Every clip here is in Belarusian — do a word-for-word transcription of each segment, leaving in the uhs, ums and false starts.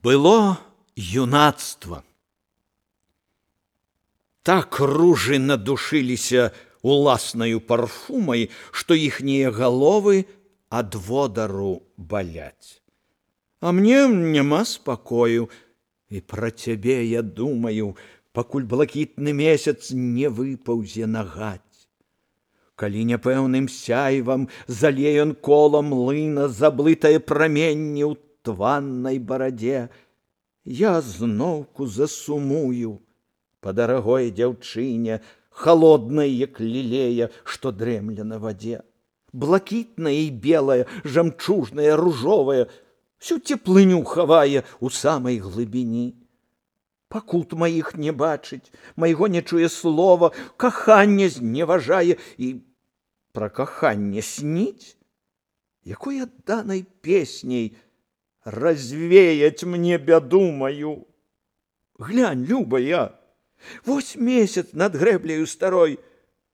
Было юнацтва. Так ружы надушыліся уласнаю парфумай, што іхнія галовы ад водару баляць. А мне няма спакою, і пра цябе я думаю, пакуль блакітны месяц не выпаўзе на гаць. Калі няпэўным сяйвам залее ён колам млына заблытае праменне ў тваннай барадзе, я зноўку засумую па дарагой дзяўчыне, холоднай, як лілея, што дрэмля на вадзе. Блакітная і белая, жамчужная, ружовая, всю цеплыню хавае у самай глыбіні. Пакут маіх не бачыць, майго не чуе слова, каханне зневажае і пра каханне сніць, якой адданай песняй развеять мне бяду маю. Глянь, любая, вось месяц над грэбляю старой,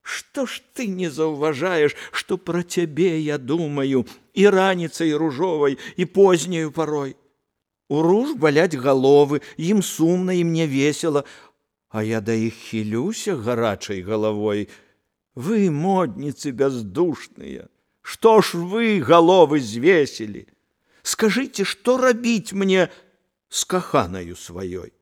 што ж ты не заўважаеш, што пра цябе я думаю і раніцай ружовай, і позняю парой. У руж баляць галовы, ім сумна, і мне весела, а я да іх хілюся гарачай галавой. Вы, модніцы бяздушныя, што ж вы галовы звесілі? Скажыце, што рабіць мне з каханаю сваёй?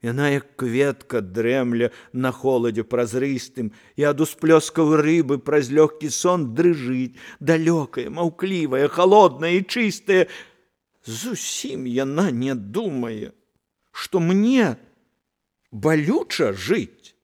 Яна, як кветка, дрэмля на холадзе празрыстым, і ад усплёскаў рыбы праз лёгкі сон дрыжыць, далёкая, маўклівая, холодная і чыстая. Зусім яна не думае, што мне балюча жыць.